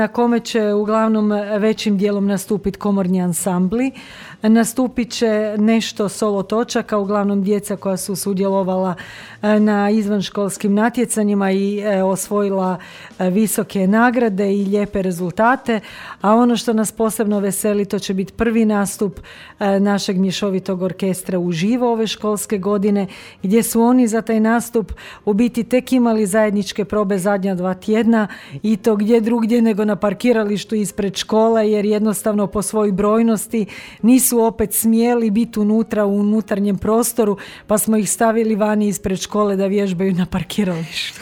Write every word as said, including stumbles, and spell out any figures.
na kome će uglavnom većim dijelom nastupiti komorni ansambli. Nastupit će nešto solo točaka, uglavnom djeca koja su sudjelovala na izvanškolskim natjecanjima i osvojila visoke nagrade i lijepe rezultate, a ono što nas posebno veseli, to će biti prvi nastup našeg mješovitog orkestra uživo ove školske godine, gdje su oni za taj nastup u biti tek imali zajedničke probe zadnja dva tjedna i to gdje drugdje nego na parkiralištu ispred škole, jer jednostavno po svojoj brojnosti nisu opet smjeli biti unutra u unutarnjem prostoru, pa smo ih stavili vani ispred škole da vježbaju na parkiralištu.